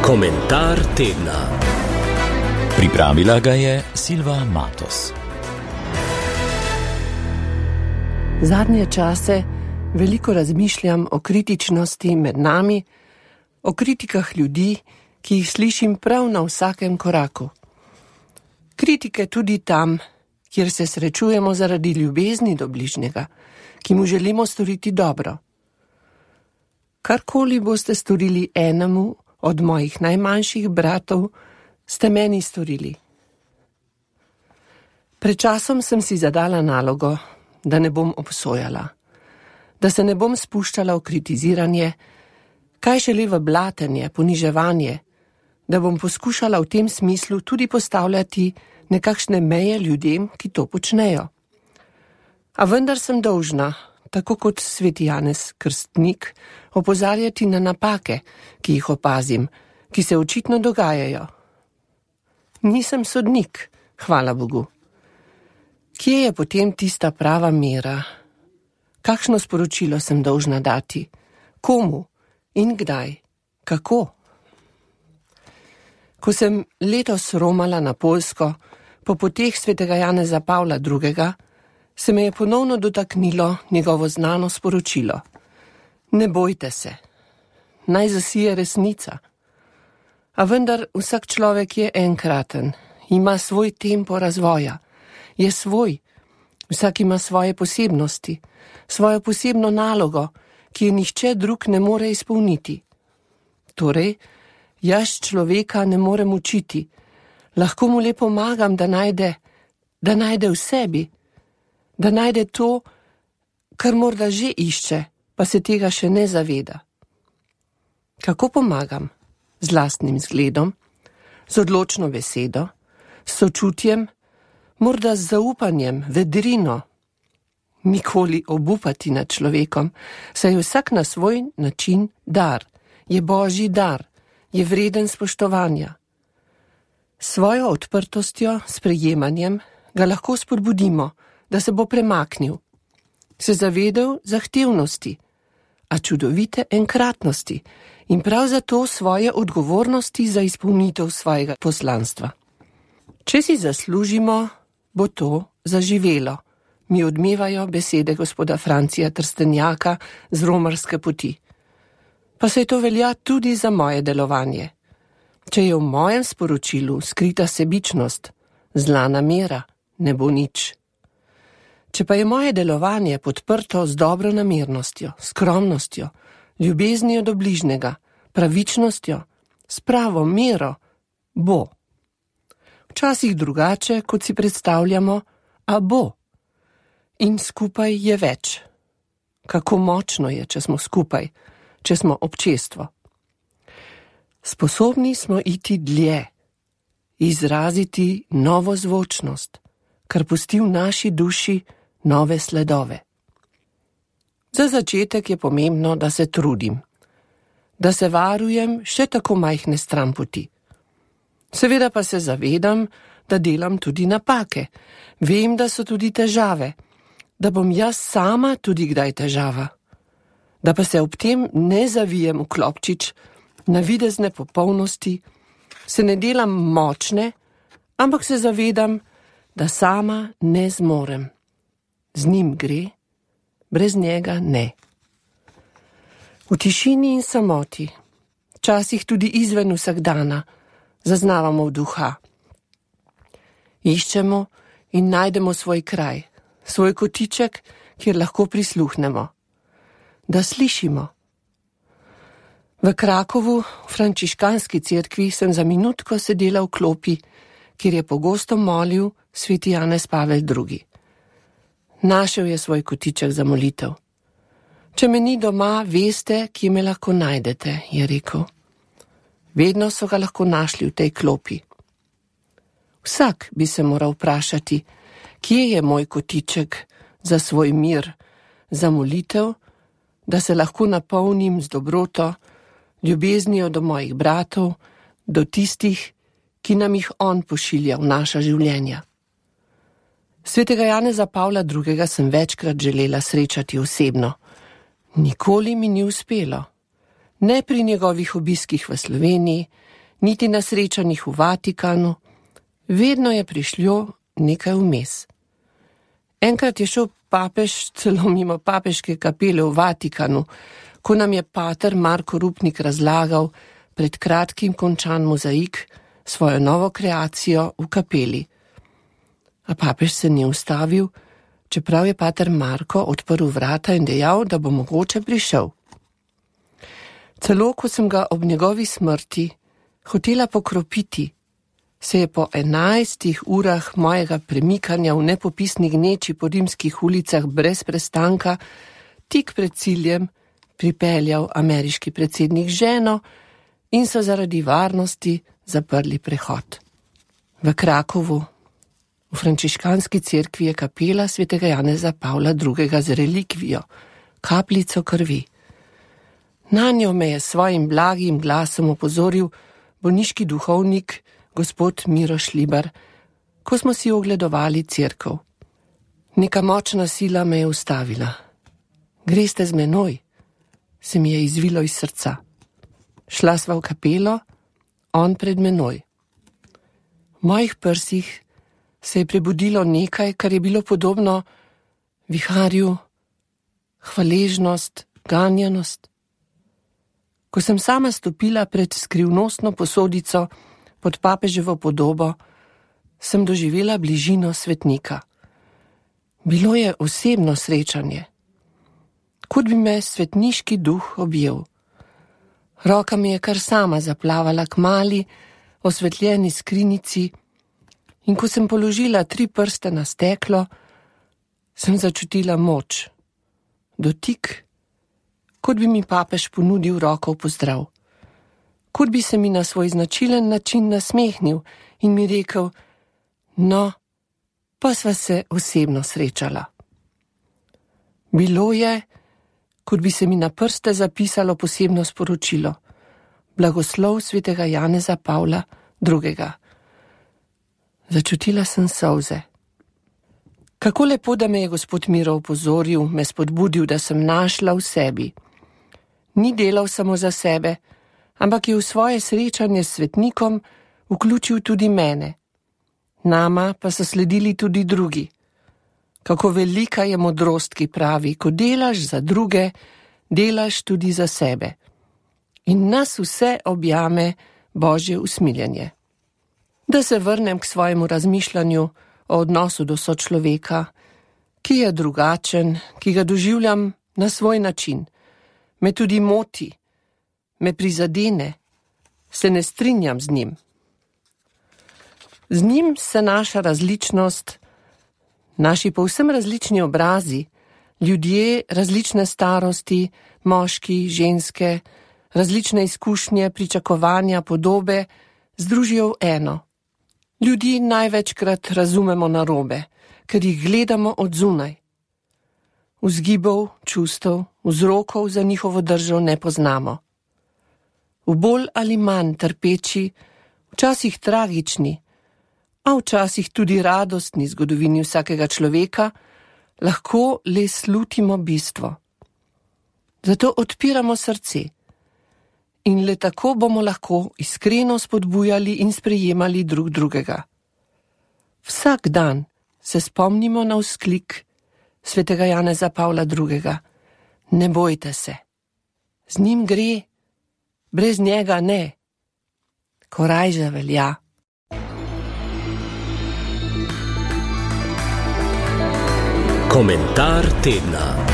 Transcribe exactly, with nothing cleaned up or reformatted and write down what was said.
Komentar tedna. Pripravila ga je Silva Matos. Zadnje čase veliko razmišljam o kritičnosti med nami, o kritikah ljudi, ki jih slišim prav na vsakem koraku. Kritike tudi tam, kjer se srečujemo zaradi ljubezni do bližnjega, ki mu želimo storiti dobro. Karkoli boste storili enemu od mojih najmanjših bratov, ste meni storili. Pred časom sem si zadala nalogo, da ne bom obsojala, da se ne bom spuščala v kritiziranje, kaj šele v blatenje, poniževanje, da bom poskušala v tem smislu tudi postavljati nekakšne meje ljudem, ki to počnejo. A vendar sem dolžna, tako kot sveti Janez Krstnik, opozarjati na napake, ki jih opazim, ki se očitno dogajajo. Nisem sodnik, hvala Bogu. Kje je potem tista prava mera? Kakšno sporočilo sem dolžna dati? Komu? In kdaj? Kako? Ko sem letos romala na Poljsko, po poteh svetega Janeza Pavla drugega, se me je ponovno dotaknilo njegovo znano sporočilo. Ne bojte se, naj zasije resnica. A vendar vsak človek je enkraten, ima svoj tempo razvoja, je svoj, vsak ima svoje posebnosti, svojo posebno nalogo, ki je nihče drug ne more izpolniti. Torej, jaz človeka ne morem učiti, lahko mu le pomagam, da najde, da najde v sebi, da najde to, kar morda že išče, pa se tega še ne zaveda. Kako pomagam? Z lastnim zgledom, z odločno besedo, s sočutjem, morda z zaupanjem, vedrino. Nikoli obupati nad človekom, saj je vsak na svoj način dar, je božji dar, je vreden spoštovanja. Svojo odprtostjo, sprejemanjem ga lahko spodbudimo, da se bo premaknil, se zavedel zahtevnosti, a čudovite enkratnosti in prav zato svoje odgovornosti za izpolnitev svojega poslanstva. Če si zaslužimo, bo to zaživelo, mi odmevajo besede gospoda Francija Trstenjaka z romarske poti. Pa se to velja tudi za moje delovanje. Če je v mojem sporočilu skrita sebičnost, zla namera, ne bo nič. Če pa je moje delovanje podprto z dobronamernostjo, skromnostjo, ljubeznijo do bližnjega, pravičnostjo, s pravo mero, bo. Včasih drugače, kot si predstavljamo, a bo. In skupaj je več. Kako močno je, če smo skupaj, če smo občestvo. Sposobni smo iti dlje, izraziti novo zvočnost, kar pusti v naši duši nove sledove. Za začetek je pomembno, da se trudim, da se varujem še tako majhne stranpoti. Seveda pa se zavedam, da delam tudi napake, vem, da so tudi težave, da bom jaz sama tudi kdaj težava, da pa se ob tem ne zavijem v klopčič navidezne popolnosti, se ne delam močne, ampak se zavedam, da sama ne zmorem. Z njim gre, brez njega ne. V tišini in samoti, včasih tudi izven vsakdana, zaznavamo duha. Iščemo in najdemo svoj kraj, svoj kotiček, kjer lahko prisluhnemo, da slišimo. V Krakovu, v frančiškanski cerkvi, sem za minutko sedela v klopi, kjer je pogosto molil sveti Janez Pavel drugi. Našel je svoj kotiček za molitev. Če me ni doma, veste, kje me lahko najdete, je rekel. Vedno so ga lahko našli v tej klopi. Vsak bi se moral vprašati, kje je moj kotiček za svoj mir, za molitev, da se lahko napolnim z dobroto, ljubeznijo do mojih bratov, do tistih, ki nam jih on pošilja v naša življenja. Svetega Janeza Pavla drugega sem večkrat želela srečati osebno. Nikoli mi ni uspelo. Ne pri njegovih obiskih v Sloveniji, niti na srečanjih v Vatikanu, vedno je prišlo nekaj vmes. Enkrat je šel papež celo mimo papeške kapele v Vatikanu, ko nam je pater Marko Rupnik razlagal pred kratkim končan mozaik, svojo novo kreacijo v kapeli. A papež se ni ustavil, čeprav je pater Marko odprl vrata in dejal, da bo mogoče prišel. Celo ko sem ga ob njegovi smrti hotela pokropiti, se je po enajstih urah mojega premikanja v nepopisni gneči po rimskih ulicah brez prestanka tik pred ciljem pripeljal ameriški predsednik z ženo in so zaradi varnosti zaprli prehod. V Krakovu, v frančiškanski cerkvi je kapela svetega Janeza Pavla drugega z relikvijo, kapljico krvi. Nanjo me je svojim blagim glasom opozoril bolniški duhovnik gospod Miro Šlibar, ko smo si ogledovali cerkev. Neka močna sila me je ustavila. Greste z menoj, se mi je izvilo iz srca. Šla sva v kapelo, on pred menoj. V mojih prsih se je prebudilo nekaj, kar je bilo podobno viharju, hvaležnost, ganjanost. Ko sem sama stopila pred skrivnostno posodico pod papeževo podobo, sem doživela bližino svetnika. Bilo je osebno srečanje. Kot bi me svetniški duh objel. Roka mi je kar sama zaplavala k mali, osvetljeni skrinjici in ko sem položila tri prste na steklo, sem začutila moč, dotik, kot bi mi papež ponudil roko v pozdrav. Kot bi se mi na svoj značilen način nasmehnil in mi rekel, no, pa sva se osebno srečala. Bilo je, kot bi se mi na prste zapisalo posebno sporočilo. Blagoslov svetega Janeza Pavla drugega. Začutila sem solze. Kako lepo, da me je gospod Miro opozoril, me spodbudil, da sem našla v sebi. Ni delal samo za sebe, ampak je v svoje srečanje s svetnikom vključil tudi mene. Nama pa so sledili tudi drugi. Kako velika je modrost, ki pravi, ko delaš za druge, delaš tudi za sebe. In nas vse objame Božje usmiljenje. Da se vrnem k svojemu razmišljanju o odnosu do sočloveka, ki je drugačen, ki ga doživljam na svoj način. Me tudi moti, me prizadene, se ne strinjam z njim. Z njim se naša različnost, naši povsem različni obrazi, ljudje različne starosti, moški, ženske, različne izkušnje, pričakovanja, podobe, združijo v eno. Ljudi največkrat razumemo narobe, ker jih gledamo od zunaj. Vzgibov, čustev, vzrokov za njihovo držo ne poznamo. V bolj ali manj trpeči, včasih tragični, a včasih tudi radostni zgodovini vsakega človeka, lahko le slutimo bistvo. Zato odpiramo srce in le tako bomo lahko iskreno spodbujali in sprejemali drug drugega. Vsak dan se spomnimo na vzklik svetega Janeza Pavla drugega. Ne bojte se. Z njim gre, brez njega ne. Korajža velja. Komentar tedna.